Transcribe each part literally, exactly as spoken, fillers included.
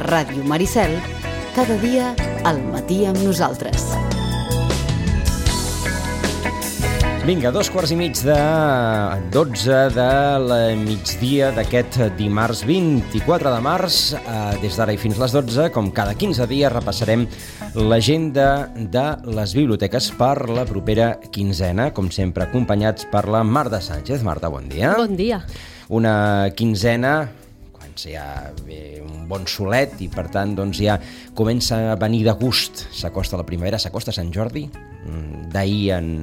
Ràdio Maricel, cada dia al matí amb nosaltres. Vinga, dos quarts i mig de dotze de la migdia d'aquest dimarts vint-i-quatre de març. Des d'ara i fins les dotze, com cada quinze dies, repassarem l'agenda de les biblioteques per la propera quinzena, com sempre acompanyats per la Marta Sánchez. Marta, bon dia. Bon dia. Una quinzena quan ja ve un bon solet i per tant doncs ja comença a venir de gust. S'acosta la primavera, s'acosta Sant Jordi. D'ahir en...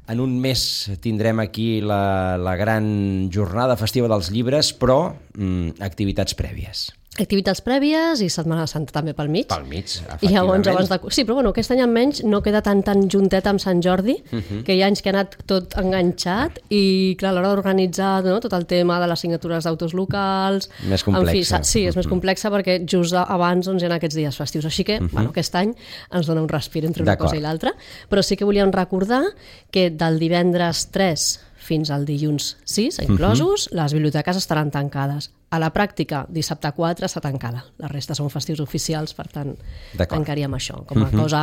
En un mes tindrem aquí la, la gran jornada festiva dels llibres, però mm, activitats prèvies. Activitats prèvies i Setmana Santa també pel mig. Pel mig, efectivament. I llavors, abans de... Sí, però bueno, aquest any almenys no queda tan tan juntet amb Sant Jordi, uh-huh. que hi ha anys que ha anat tot enganxat i, clar, a l'hora d'organitzar, no, tot el tema de les signatures d'autors locals... Més complexa. En fi, sí, és uh-huh. més complexa perquè just abans doncs, hi ha aquests dies festius. Així que, uh-huh. bueno, aquest any ens dona un respir entre una cosa i l'altra. Però sí que volíem recordar que del divendres tres fins al dilluns sis, inclosos, uh-huh. les biblioteques estaran tancades. A la pràctica, dissabte quatre està tancada. La resta són festius oficials, per tant, tancaríem això. Com a uh-huh. cosa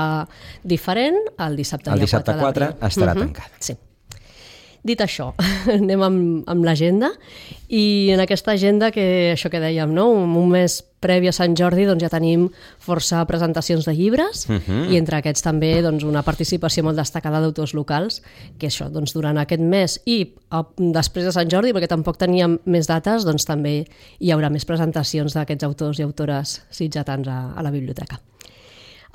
diferent, el dissabte, el dissabte quatre estarà uh-huh. tancat. Sí. Dit això, anem amb, amb l'agenda i en aquesta agenda, que això que dèiem, no? un, un mes previ a Sant Jordi doncs ja tenim força presentacions de llibres uh-huh. i entre aquests també doncs, una participació molt destacada d'autors locals, que això doncs, durant aquest mes i a, després de Sant Jordi, perquè tampoc teníem més dates, doncs també hi haurà més presentacions d'aquests autors i autores sitgetans a, a la biblioteca.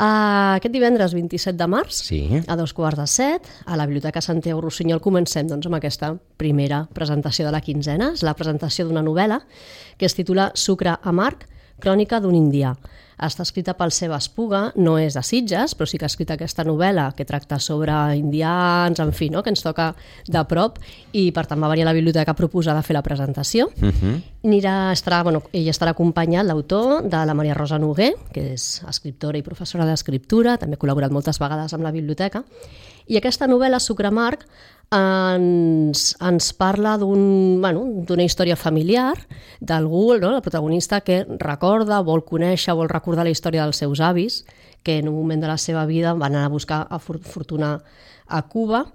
Uh, aquest divendres vint-i-set de març, sí. a dos quarts de set, a la Biblioteca Santiago Rossinyol comencem doncs, amb aquesta primera presentació de la quinzena. És la presentació d'una novel·la que es titula Sucre amarg, crònica d'un indià. Està escrita pel Seba Espuga, no és de Sitges, però sí que ha escrit aquesta novel·la que tracta sobre indians, en fi, no? que ens toca de prop, i per tant va venir a la biblioteca a proposar de fer la presentació. Uh-huh. Anirà, estarà, bueno, ell estarà acompanyat, l'autor, de la Maria Rosa Noguer, que és escriptora i professora d'escriptura, també ha col·laborat moltes vegades amb la biblioteca, i aquesta novel·la, Sucre amarg, ens, ens parla d'un, bueno, d'una història familiar d'algú, no? El protagonista, que recorda, vol conèixer, vol recordar la història dels seus avis, que en un moment de la seva vida van anar a buscar a fortuna a Cuba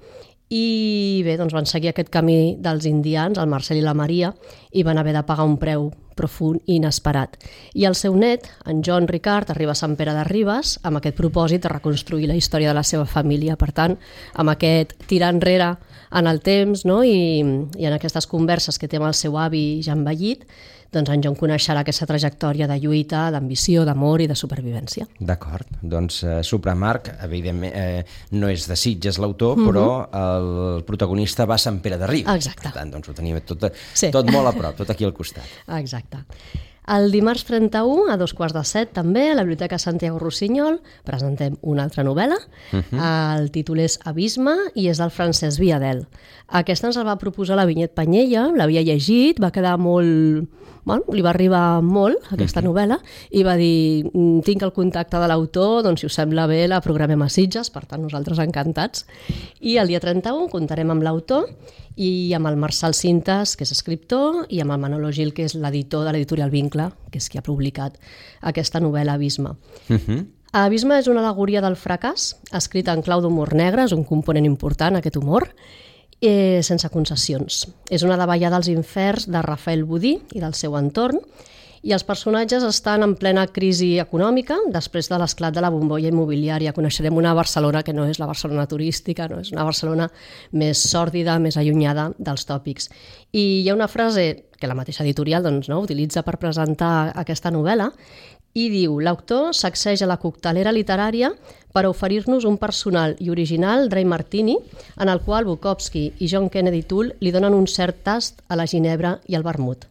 i bé, doncs van seguir aquest camí dels indians, el Marcel i la Maria, i van haver de pagar un preu profund i inesperat. I el seu net, en Joan Ricard, arriba a Sant Pere de Ribes amb aquest propòsit de reconstruir la història de la seva família. Per tant, amb aquest tirar enrere en el temps, no? I, i en aquestes converses que té amb el seu avi ja envellit, doncs en Joan coneixerà aquesta trajectòria de lluita, d'ambició, d'amor i de supervivència. D'acord. Doncs uh, Sucre amarg, evidentment, eh, no és de Sitges l'autor, uh-huh. però el protagonista va a Sant Pere de Ribes. Exacte. Per tant, doncs ho tenim tot, sí. tot molt a prop, tot aquí al costat. Exacte. El dimarts trenta-u, a dos quarts de set, també, a la Biblioteca Santiago Rossinyol, presentem una altra novel·la. Uh-huh. El títol és Abisme i és del Francesc Viadel. Aquesta ens la va proposar la Vinyet Panyella, l'havia llegit, va quedar molt... Bueno, li va arribar molt, aquesta uh-huh. novel·la, i va dir, tinc el contacte de l'autor, doncs si us sembla bé la programem a Sitges, per tant nosaltres encantats. I el dia trenta-u comptarem amb l'autor i amb el Marçal Cintas, que és escriptor, i amb el Manolo Gil, que és l'editor de l'editorial Vincle, que és qui ha publicat aquesta novel·la Abisme. Uh-huh. Abisme és una al·legoria del fracàs, escrita en clau d'humor negre, és un component important aquest humor, eh, sense concessions. És una davallada als inferns de Rafael Budí i del seu entorn, i els personatges estan en plena crisi econòmica després de l'esclat de la bombolla immobiliària. Coneixerem una Barcelona que no és la Barcelona turística, no és una Barcelona més sòrdida, més allunyada dels tòpics. I hi ha una frase que la mateixa editorial doncs, no, utilitza per presentar aquesta novel·la i diu: l'autor sacseja la coctelera literària per oferir-nos un personal i original Dry Martini en el qual Bukowski i John Kennedy Toole li donen un cert tast a la ginebra i al vermut.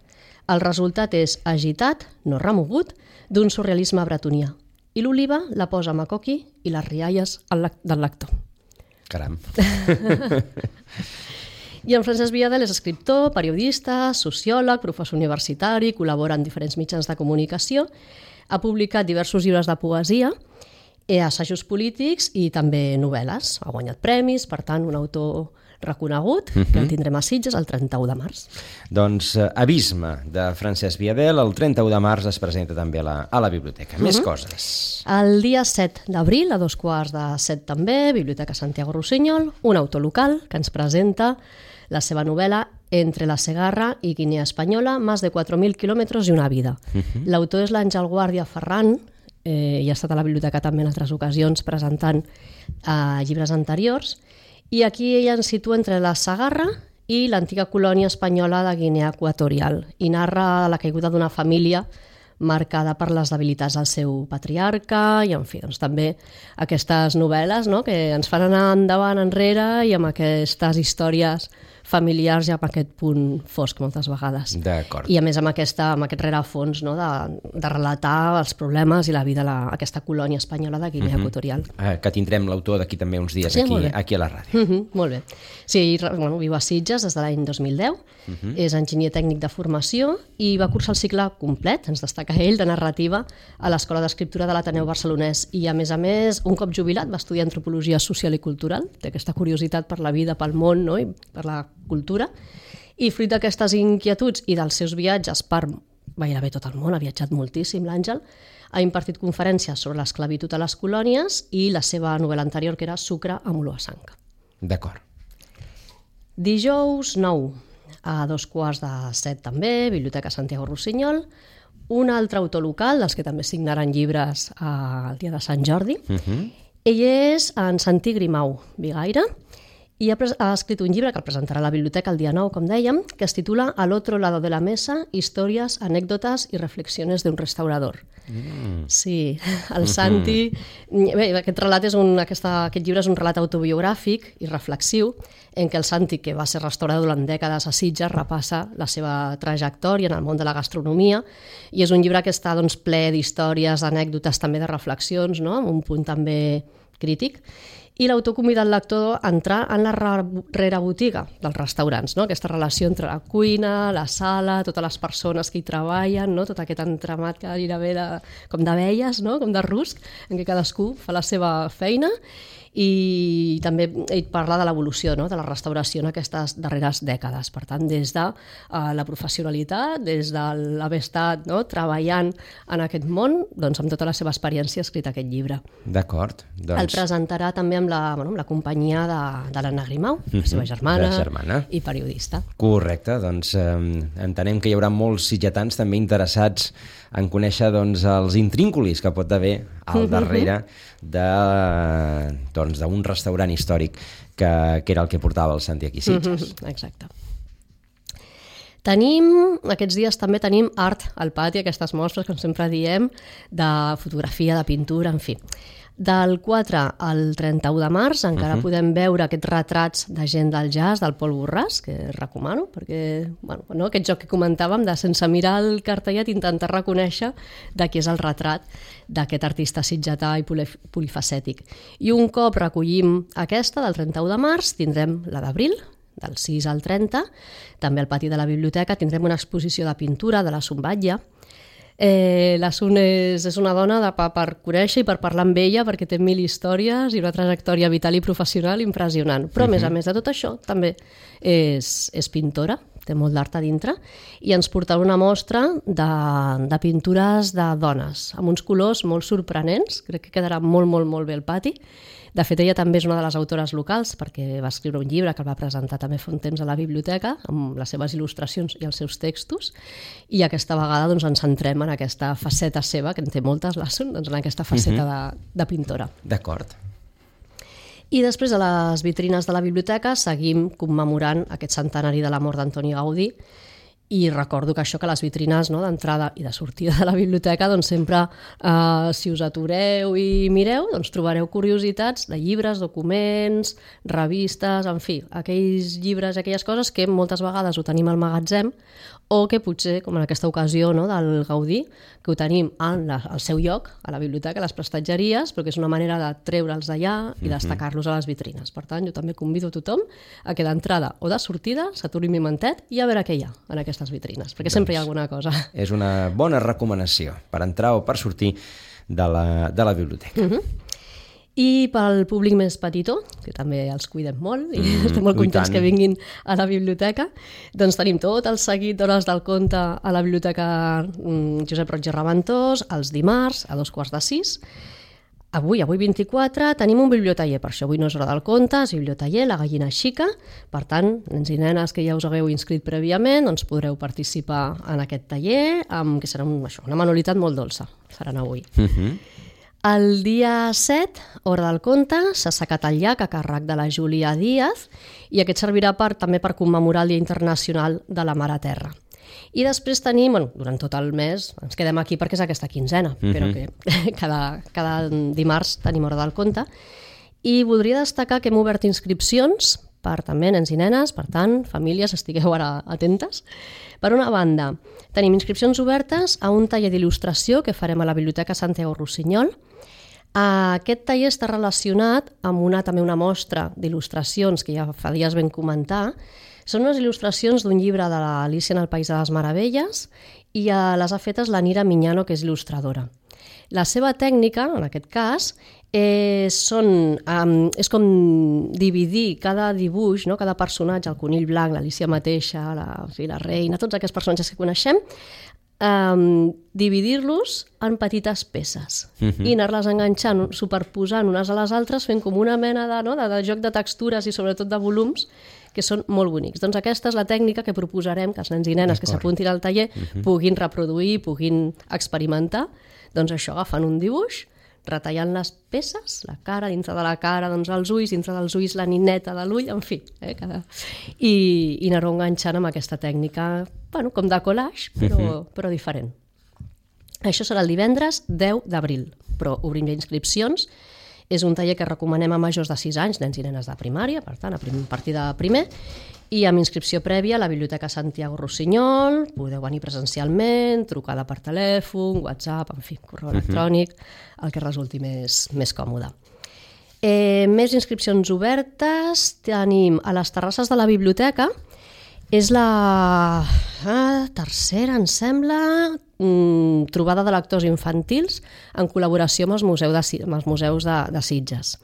El resultat és agitat, no remogut, d'un surrealisme bretonià. I l'oliva la posa Makoki i les rialles del lector. Caram. I en Francesc Viadel és escriptor, periodista, sociòleg, professor universitari, col·labora en diferents mitjans de comunicació, ha publicat diversos llibres de poesia, assajos polítics i també novel·les. Ha guanyat premis, per tant, un autor reconegut, uh-huh. que el tindrem a Sitges el trenta-u de març. Doncs uh, Abisme, de Francesc Viadel, el trenta-u de març es presenta també a la, a la biblioteca. Més uh-huh. coses. El dia set d'abril, a dos quarts de set també, Biblioteca Santiago Rossinyol, un autor local que ens presenta la seva novel·la Entre la Segarra i Guinea Espanyola, más de quatre mil quilòmetres i una vida. Uh-huh. L'autor és l'Àngel Guàrdia Ferran, eh, i ha estat a la biblioteca també en altres ocasions presentant eh, llibres anteriors, i aquí ella ens situa entre la Segarra i l'antiga colònia espanyola de Guinea Equatorial, i narra la caiguda d'una família marcada per les debilitats del seu patriarca i, en fi, doncs, també aquestes novel·les, no?, que ens fan anar endavant, enrere, i amb aquestes històries familiars i amb aquest punt fosc moltes vegades. D'acord. I a més amb, aquesta, amb aquest rerefons, no?, de, de relatar els problemes i la vida d'aquesta colònia espanyola de Guinea uh-huh. Equatorial. Eh, que tindrem l'autor d'aquí també uns dies, sí, aquí, aquí a la ràdio. Uh-huh, molt bé. Sí, bueno, viu a Sitges des de l'any dos mil deu, uh-huh. és enginyer tècnic de formació i va cursar el cicle complet, ens destaca ell, de narrativa a l'Escola d'Escriptura de l'Ateneu Barcelonès, i a més a més, un cop jubilat, va estudiar antropologia social i cultural, té aquesta curiositat per la vida, pel món, no?, i per la cultura, i fruit d'aquestes inquietuds i dels seus viatges per gairebé tot el món, ha viatjat moltíssim l'Àngel, ha impartit conferències sobre l'esclavitud a les colònies i la seva novel·la anterior, que era Sucre amb olor a sang. D'acord. Dijous nou, a dos quarts de set també, Biblioteca Santiago Rossinyol, un altre autor local, dels que també signaran llibres el dia de Sant Jordi. Uh-huh. Ell és en Santi Grimau Vigaire, i ha, ha escrit un llibre que el presentarà a la biblioteca el dia nou, com dèiem, que es titula Al otro lado de la mesa, històries, anècdotes i reflexiones d'un restaurador. Mm. Sí, el Santi... Bé, aquest, relat és un, aquesta, aquest llibre és un relat autobiogràfic i reflexiu en què el Santi, que va ser restaurador durant dècades a Sitges, repassa la seva trajectòria en el món de la gastronomia, i és un llibre que està, doncs, ple d'històries, anècdotes, també de reflexions, no?, amb un punt també crític. I l'autor convida el lector a entrar en la rerebotiga dels restaurants, no?, aquesta relació entre la cuina, la sala, totes les persones que hi treballen, no?, tot aquest entramat que gairebé de, com d'abelles, no?, com de rusc, en què cadascú fa la seva feina, i també ell parla de l'evolució, no?, de la restauració en aquestes darreres dècades. Per tant, des de uh, la professionalitat, des de l'haver estat, no?, treballant en aquest món, doncs amb tota la seva experiència ha escrit aquest llibre. D'acord. Doncs... El presentarà també amb la, bueno, amb la companyia de, de l'Anna Grimau, la seva germana, la germana i periodista. Correcte, doncs eh, entenem que hi haurà molts sitgetans també interessats en conèixer, doncs, els intrínculis que pot haver al darrere de, doncs, d'un restaurant històric que, que era el que portava el Santi aquí a Sitges. Exacte. Tenim, aquests dies també tenim art al pati, aquestes mostres, com sempre diem, de fotografia, de pintura, en fi. Del quatre al trenta-u de març encara uh-huh. podem veure aquests retrats de gent del jazz, del Pol Borràs, que recomano, perquè bueno, no, aquest joc que comentàvem de sense mirar el cartellet intentar reconèixer de qui és el retrat d'aquest artista sitgetà i polifacètic. I un cop recollim aquesta, del trenta-u de març, tindrem la d'abril, del sis al trenta, també al pati de la biblioteca tindrem una exposició de pintura de la Sumbatlla. Eh, la Sun és, és una dona de, per, per conèixer i per parlar amb ella, perquè té mil històries i una trajectòria vital i professional impressionant, però uh-huh. a més a més de tot això també és, és pintora, té molt d'art a dintre, i ens portarà una mostra de, de pintures de dones amb uns colors molt sorprenents. Crec que quedarà molt, molt, molt bé el pati. De fet, ella també és una de les autores locals, perquè va escriure un llibre que el va presentar també fa un temps a la biblioteca, amb les seves il·lustracions i els seus textos, i aquesta vegada doncs, ens centrem en aquesta faceta seva, que en té moltes, la Sun, doncs, en aquesta faceta uh-huh. de, de pintora. D'acord. I després a les vitrines de la biblioteca seguim commemorant aquest centenari de la mort d'Antoni Gaudí, i recordo que això, que les vitrines, no, d'entrada i de sortida de la biblioteca, doncs sempre, eh, si us atureu i mireu, doncs trobareu curiositats de llibres, documents, revistes, en fi, aquells llibres, aquelles coses que moltes vegades ho tenim al magatzem, o que potser, com en aquesta ocasió, no, del Gaudí, que ho tenim al, al seu lloc, a la biblioteca, a les prestatgeries, però que és una manera de treure'ls d'allà i destacar-los a les vitrines. Per tant, jo també convido a tothom a que d'entrada o de sortida s'aturi un momentet i a veure què hi ha en aquestes vitrines, perquè doncs sempre hi ha alguna cosa. És una bona recomanació per entrar o per sortir de la, de la biblioteca. Uh-huh. I pel públic més petitó, que també els cuidem molt i mm, estem molt contents que vinguin a la biblioteca, doncs tenim tot el seguit d'hores del conte a la biblioteca Josep Roig i Reventós, els dimarts a dos quarts de sis. Avui, avui vint-i-quatre, tenim un bibliotaller, per això avui no és hora del conte, és bibliotaller, la gallina xica, per tant, nens i nenes que ja us hagueu inscrit prèviament, doncs podreu participar en aquest taller, amb, que serà un, això, una manualitat molt dolça, faran avui. Uh-huh. El dia set, hora del conte, s'ha assecat el llac a càrrec de la Júlia Díaz i aquest servirà per, també per commemorar el Dia Internacional de la Mare Terra. I després tenim, bueno, durant tot el mes, ens quedem aquí perquè és aquesta quinzena, uh-huh. però que cada, cada dimarts tenim hora del conte. I voldria destacar que hem obert inscripcions per també nens i nenes, per tant, famílies, estigueu ara atentes. Per una banda, tenim inscripcions obertes a un taller d'il·lustració que farem a la Biblioteca Santiago Rossinyol. Aquest taller està relacionat amb una, també una mostra d'il·lustracions que ja fa dies vam comentar. Són unes il·lustracions d'un llibre de l'Alícia en el País de les Meravelles i les ha fetes la Nira Miñano, que és il·lustradora. La seva tècnica, en aquest cas, és, són, um, és com dividir cada dibuix, no? Cada personatge, el conill blanc, l'Alícia mateixa, la, sí, la reina, tots aquests personatges que coneixem, um, dividir-los en petites peces uh-huh. i anar-les enganxant, superposant unes a les altres, fent com una mena de, no? de, de joc de textures i sobretot de volums, que són molt bonics. Doncs aquesta és la tècnica que proposarem que els nens i nenes que s'apuntin al taller uh-huh. puguin reproduir, puguin experimentar. Doncs això, agafant un dibuix, retallant les peces, la cara, dintre de la cara, doncs els ulls, dintre dels ulls la nineta de l'ull, en fi, eh, cada... i, i anar-ho enganxant amb aquesta tècnica, bueno, com de collage, però, uh-huh. però diferent. Això serà el divendres deu d'abril, però obrim ja inscripcions. És un taller que recomanem a majors de sis anys, nens i nenes de primària, per tant, a partir de primer, i amb inscripció prèvia a la Biblioteca Santiago Rossinyol, podeu venir presencialment, trucada per telèfon, WhatsApp, en fi, correu electrònic, el que resulti més, més còmode. Eh, més inscripcions obertes tenim a les terrasses de la biblioteca. És la ah, tercera, em sembla, mm, trobada de lectors infantils en col·laboració amb els museus de, amb els museus de, de Sitges.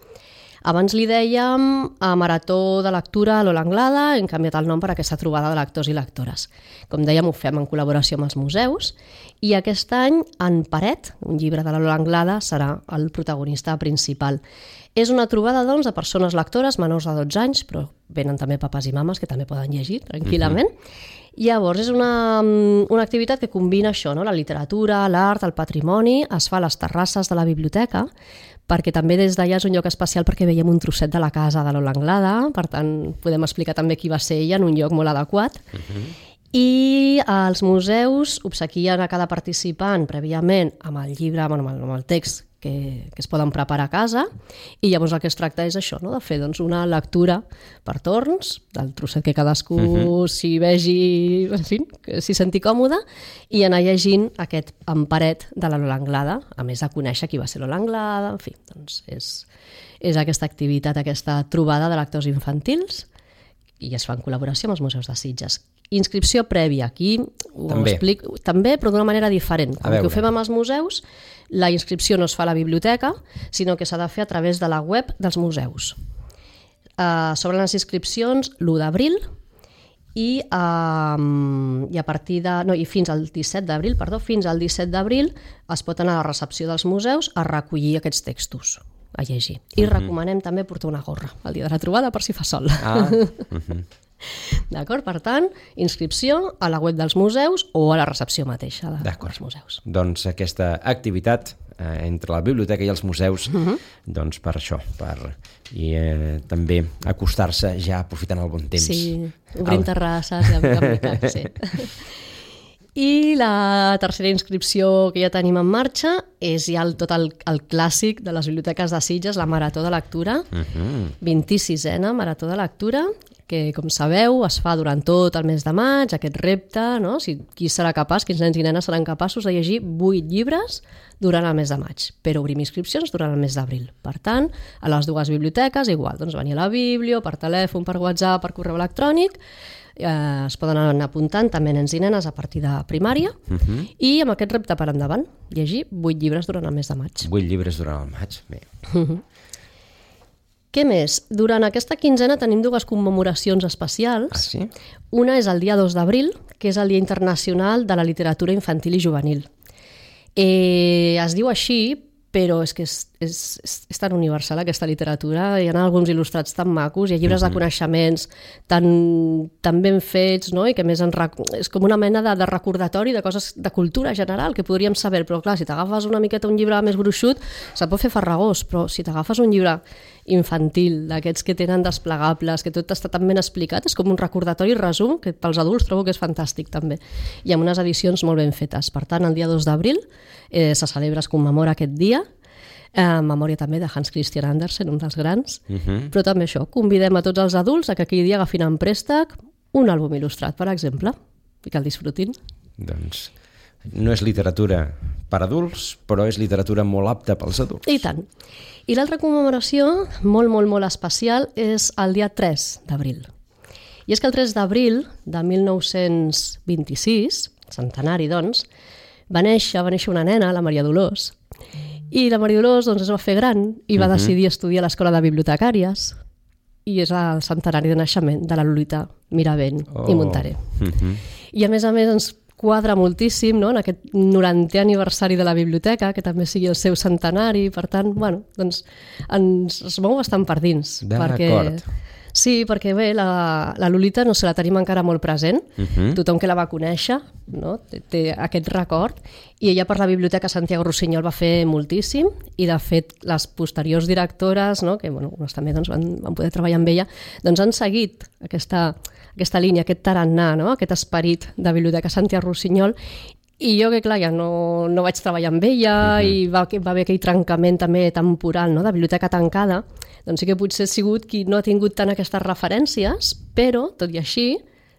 Abans li dèiem a Marató de Lectura a l'Ola Anglada, hem canviat el nom per aquesta trobada de lectors i lectores. Com dèiem, ho fem en col·laboració amb els museus i aquest any En Paret, un llibre de l'Ola Anglada, serà el protagonista principal. És una trobada, doncs, de persones lectores menors de dotze anys, però venen també papes i mames que també poden llegir tranquil·lament. Uh-huh. Llavors, és una, una activitat que combina això, no? La literatura, l'art, el patrimoni, es fa a les terrasses de la biblioteca, perquè també des d'allà és un lloc especial perquè veiem un trosset de la casa de l'Ola Anglada, per tant, podem explicar també qui va ser ella en un lloc molt adequat. Uh-huh. I els museus obsequien a cada participant prèviament amb el llibre, amb el, amb el text que, que es poden preparar a casa, i llavors el que es tracta és això, no? De fer doncs, una lectura per torns, del trosset que cadascú uh-huh. s'hi vegi, en fi, que s'hi senti còmode, i anar llegint aquest En Paret de la Lola Anglada, a més de conèixer qui va ser Lola Anglada, en fi, doncs és, és aquesta activitat, aquesta trobada de lectors infantils, i es fa en col·laboració amb els museus de Sitges. Inscripció prèvia, aquí ho també. explico, també, però d'una manera diferent. Com que ho fem amb els museus, la inscripció no es fa a la biblioteca, sinó que s'ha de fer a través de la web dels museus. Uh, sobre les inscripcions, l'u d'abril, i, uh, i a partir de... No, i fins al disset d'abril, perdó, fins al disset d'abril es pot anar a la recepció dels museus a recollir aquests textos, a llegir. I uh-huh. recomanem també portar una gorra el dia de la trobada per si fa sol. Ah. Uh-huh. D'acord? Per tant, inscripció a la web dels museus o a la recepció mateixa de, dels museus. Doncs aquesta activitat eh, entre la biblioteca i els museus, uh-huh. doncs per això, per i eh, també acostar-se ja aprofitant el bon temps. Sí, obrint el... terrasses, de veritat, sí. I la tercera inscripció que ja tenim en marxa és ja el, tot el, el clàssic de les biblioteques de Sitges, la Marató de Lectura, uh-huh. vint-i-sisena Marató de Lectura, que, com sabeu, es fa durant tot el mes de maig, aquest repte, no? Si, qui serà capaç, quins nens i nenes seran capaços de llegir vuit llibres durant el mes de maig, però obrim inscripcions durant el mes d'abril. Per tant, a les dues biblioteques, igual, doncs venir a la Biblio, per telèfon, per WhatsApp, per correu electrònic, eh, es poden anar apuntant també nens i nenes a partir de primària, uh-huh. i amb aquest repte per endavant, llegir vuit llibres durant el mes de maig. Vuit llibres durant el maig, bé. Uh-huh. Què més? Durant aquesta quinzena tenim dues commemoracions especials. Ah, sí? Una és el dia dos d'abril, que és el Dia Internacional de la Literatura Infantil i Juvenil. Eh, es diu així, però és que és, és, és, és tan universal aquesta literatura, hi ha alguns il·lustrats tan macos, hi ha llibres uh-huh. de coneixements tan, tan ben fets, no? I que a més en rec... és com una mena de, de recordatori de coses de cultura general que podríem saber, però clar, si t'agafes una miqueta un llibre més gruixut, se't pot fer farragós, però si t'agafes un llibre infantil, d'aquests que tenen desplegables, que tot està tan ben explicat, és com un recordatori resum, que pels adults trobo que és fantàstic també, i amb unes edicions molt ben fetes. Per tant, el dia dos d'abril eh, se celebra, es commemora aquest dia, en memòria també de Hans Christian Andersen, un dels grans, uh-huh. però també això, convidem a tots els adults a que aquell dia agafin en préstec un àlbum il·lustrat, per exemple, i que el disfrutin. Doncs no és literatura per adults, però és literatura molt apta pels adults. I tant. I l'altra commemoració, molt, molt, molt especial, és el dia tres d'abril. I és que el tres d'abril de mil nou-cents vint-i-sis, centenari, doncs, va néixer, va néixer una nena, la Maria Dolors, i la Maria Dolors doncs, es va fer gran i va uh-huh. decidir estudiar a l'Escola de Bibliotecàries, i és el centenari de naixement de la Lolita Miravent oh. i Montaner. Uh-huh. I a més a més ens quadra moltíssim, no?, en aquest norantè aniversari de la biblioteca, que també sigui el seu centenari, per tant, bueno, doncs ens es mou bastant per dins. D'acord. Perquè... Sí, perquè bé, la, la Lolita no se la tenim encara molt present, uh-huh. tothom que la va conèixer, no? té, té aquest record, i ella per la Biblioteca Santiago Rossinyol va fer moltíssim, i de fet les posteriors directores, no? que bueno, també doncs, van, van poder treballar amb ella, doncs han seguit aquesta, aquesta línia, aquest tarannà, no? aquest esperit de Biblioteca Santiago Rossinyol, i jo que clar, ja no, no vaig treballar amb ella uh-huh. i va, va haver aquell trencament també temporal, no? de biblioteca tancada, doncs sí que potser ha sigut qui no ha tingut tant aquestes referències, però, tot i així,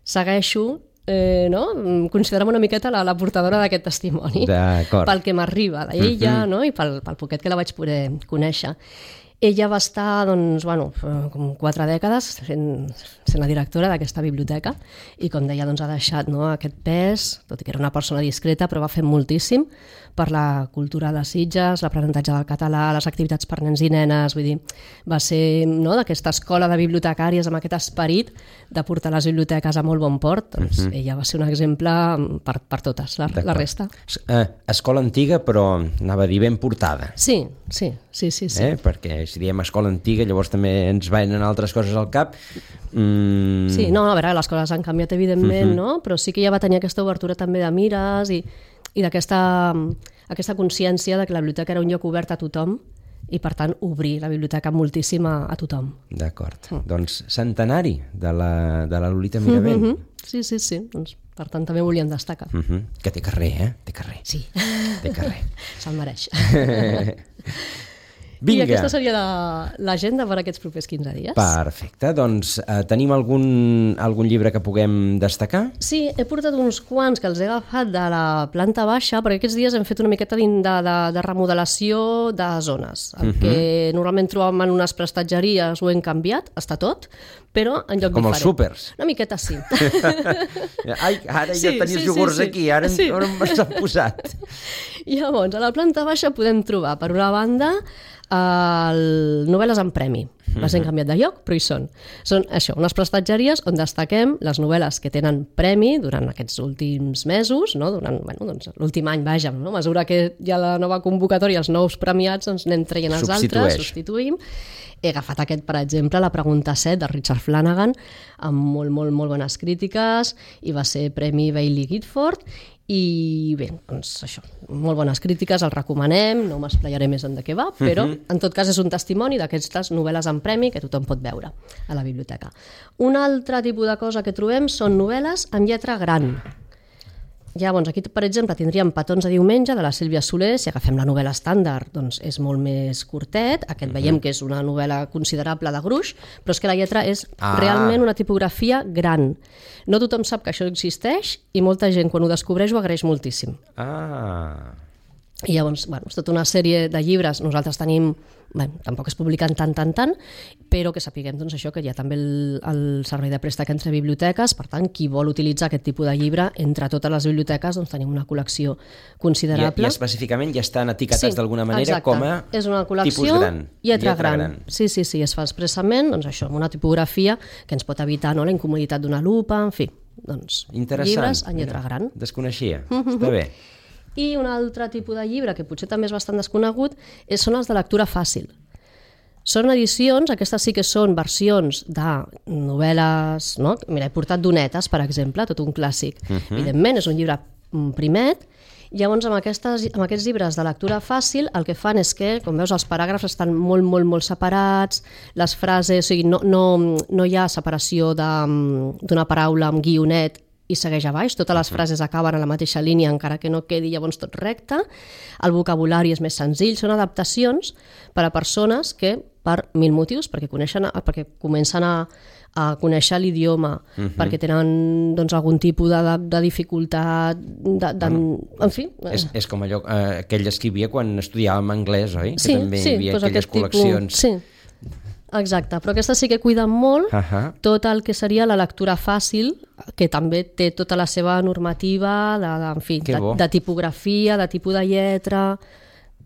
segueixo eh, no? considerem una miqueta la, la portadora d'aquest testimoni. D'acord. Pel que m'arriba d'ella uh-huh. no? i pel, pel poquet que la vaig poder conèixer. Ella va estar doncs, bueno, com quatre dècades sent, sent la directora d'aquesta biblioteca i, com deia, doncs, ha deixat no, aquest pes, tot i que era una persona discreta, però va fer moltíssim per la cultura de Sitges, l'aprenentatge del català, les activitats per nens i nenes, vull dir, va ser no, d'aquesta escola de bibliotecàries amb aquest esperit de portar les biblioteques a molt bon port, doncs uh-huh. ella va ser un exemple per, per totes, la, la resta. Eh, escola antiga, però anava a dir ben portada. Sí, sí, sí, sí. sí. Eh? Perquè si diem escola antiga, llavors també ens venen altres coses al cap. Mm. Sí, no, a veure, les coses han canviat, evidentment, uh-huh. no? Però sí que ja va tenir aquesta obertura també de mires i, i d'aquesta aquesta consciència de que la biblioteca era un lloc obert a tothom i, per tant, obrir la biblioteca moltíssim a, a tothom. D'acord. Mm. Doncs centenari de la, de la Lolita Miravent. Mm-hmm. Sí, sí, sí. Doncs, per tant, també volíem destacar. Mm-hmm. Que té carrer, eh? Té carrer. Sí. Té carrer. Se'l mereix. Vinga. I aquesta seria l'agenda per aquests propers quinze dies. Perfecte. Doncs eh, tenim algun, algun llibre que puguem destacar? Sí, he portat uns quants que els he agafat de la planta baixa, perquè aquests dies hem fet una miqueta de, de, de remodelació de zones. El uh-huh. que normalment trobàvem en unes prestatgeries ho hem canviat, està tot, però en lloc Com diferent. Els súpers. Una miqueta sí. Ai, ara sí, ja tenies sí, iogurts sí, sí. aquí, ara sí. on m'has posat. Llavors, a la planta baixa podem trobar, per una banda, el novel·les en premi. Les hem canviat de lloc, però hi són. Són això, unes prestatgeries on destaquem les novel·les que tenen premi durant aquests últims mesos, no? Durant bueno, doncs, l'últim any, vaja, no? A mesura que hi ha la nova convocatòria, els nous premiats, doncs anem traient els altres, substituïm. He agafat aquest, per exemple, La pregunta set, de Richard Flanagan, amb molt, molt, molt bones crítiques, i va ser Premi Bailey Gifford, i bé, doncs això, molt bones crítiques, el recomanem, no m'esplaiaré més en de què va, però uh-huh. en tot cas és un testimoni d'aquestes novel·les en premi que tothom pot veure a la biblioteca. Un altre tipus de cosa que trobem són novel·les amb lletra gran. Llavors, aquí, per exemple, tindríem Petons de diumenge, de la Sílvia Soler. Si agafem la novel·la estàndard, doncs és molt més curtet. Aquest uh-huh. veiem que és una novel·la considerable de gruix, però és que la lletra és ah. realment una tipografia gran. No tothom sap que això existeix i molta gent, quan ho descobreix, ho agraeix moltíssim. Ah... I llavors, bueno, és tota una sèrie de llibres. Nosaltres tenim bé, tampoc es publiquen tant, tant, tant, però que sapiguem doncs, això, que hi ha també el, el servei de préstec entre biblioteques, per tant, qui vol utilitzar aquest tipus de llibre, entre totes les biblioteques doncs, tenim una col·lecció considerable. I, i específicament ja estan etiquetats sí, d'alguna manera exacte. com a és una col·lecció, tipus gran, lletra, lletra gran. gran. Sí, sí, sí, es fa expressament, doncs això, amb una tipografia que ens pot evitar, no?, la incomoditat d'una lupa, en fi, doncs, llibres en lletra gran. Desconeixia, està bé. I un altre tipus de llibre, que potser també és bastant desconegut, és, són els de lectura fàcil. Són edicions, aquestes sí que són versions de novel·les, no? Mira, he portat Donetes, per exemple, tot un clàssic. Uh -huh. Evidentment, és un llibre primet. Llavors, amb, aquestes, amb aquests llibres de lectura fàcil, el que fan és que, com veus, els paràgrafs estan molt, molt, molt separats, les frases, o sigui, no, no, no hi ha separació d'una paraula amb guionet i segueix a baix, totes les frases acaben a la mateixa línia encara que no quedi llavors tot recte, el vocabulari és més senzill, són adaptacions per a persones que per mil motius, perquè, coneixen, perquè comencen a, a conèixer l'idioma, uh -huh. perquè tenen doncs, algun tipus de, de, de dificultat, de, de, bueno, en fi. És, és com allò eh, que ell escrivia quan estudiàvem anglès, oi? Sí, que també sí, hi havia doncs aquelles col·leccions. Tipus, sí. Exacte, però aquestes sí que cuiden molt uh -huh. tot el que seria la lectura fàcil, que també té tota la seva normativa de, de, en fi, de, de tipografia, de tipus de lletra.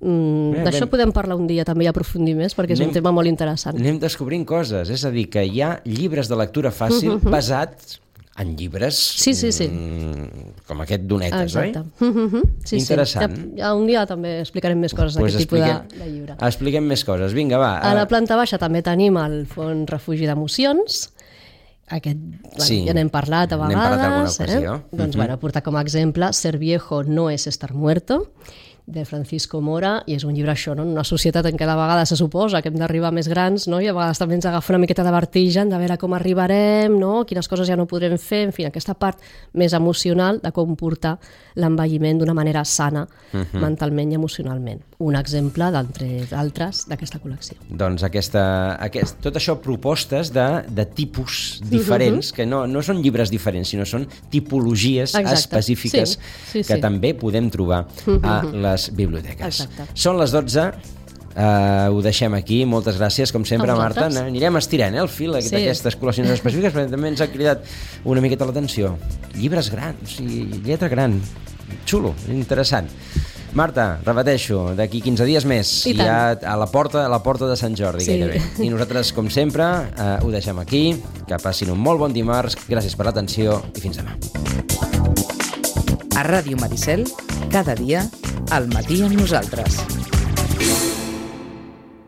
Mm, D'això ben... podem parlar un dia també i aprofundir més, perquè és anem, un tema molt interessant. Anem descobrint coses, és a dir, que hi ha llibres de lectura fàcil uh -huh. basats en llibres sí, sí, sí. Mm, com aquest Donetes, exacte. oi? Uh -huh. sí, interessant. Sí. Ja, ja un dia també explicarem més coses pues d'aquest tipus de, de llibre. Expliquem més coses, vinga, va. A la planta baixa també tenim el Fons Refugi d'Emocions. Aquest, sí, ja n'hem parlat a vegades. N'hem parlat alguna ocasió. Eh? Doncs, uh -huh. bueno, portar com a exemple Ser viejo no es estar muerto, de Francisco Mora, i és un llibre això, no? En una societat en què de vegades se suposa que hem d'arribar més grans, no? I a vegades també ens agafa una miqueta de vertigen de veure com arribarem, no? Quines coses ja no podrem fer, en fi, aquesta part més emocional de com portar l'envelliment d'una manera sana, uh -huh. mentalment i emocionalment. Un exemple d'entre d'altres d'aquesta col·lecció. Doncs aquesta, aquest, tot això propostes de, de tipus diferents, uh -huh. que no, no són llibres diferents, sinó són tipologies exacte. específiques sí, sí, que sí. també podem trobar uh -huh. a les biblioteques. Exacte. Són les dotze, uh, ho deixem aquí. Moltes gràcies, com sempre, Marta. Anirem estirant eh, el fil sí. d'aquestes col·leccions específiques, perquè també ens ha cridat una miqueta l'atenció. Llibres grans, i lletra gran. Xulo, interessant. Marta, repeteixo, d'aquí quinze dies més, I ja a la porta a la porta de Sant Jordi, sí. gairebé. I nosaltres, com sempre, uh, ho deixem aquí. Que passin un molt bon dimarts. Gràcies per l'atenció i fins demà. A Ràdio Maricel, cada dia, al matí amb nosaltres.